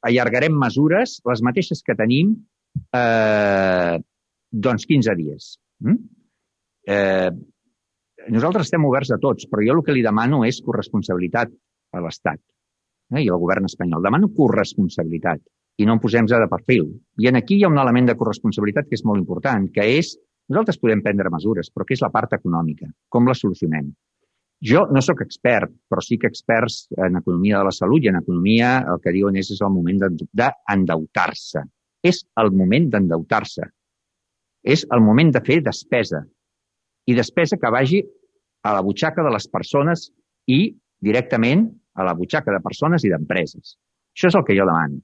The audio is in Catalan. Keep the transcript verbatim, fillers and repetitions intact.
allargarem mesures, les mateixes que tenim, eh, doncs quinze dies. Mm? Eh, nosaltres estem oberts a tots, però jo el que li demano és corresponsabilitat a l'Estat eh, i al govern espanyol. Demano corresponsabilitat i no em posem de perfil. I aquí hi ha un element de corresponsabilitat que és molt important, que és, nosaltres podem prendre mesures, però que és la part econòmica. Com la solucionem? Jo no sóc expert, però sí que experts en economia de la salut i en economia el que diuen és, és el moment d'endeutar-se. És el moment d'endeutar-se. És el moment de fer despesa. I despesa que vagi a la butxaca de les persones i directament a la butxaca de persones i d'empreses. Això és el que jo demano.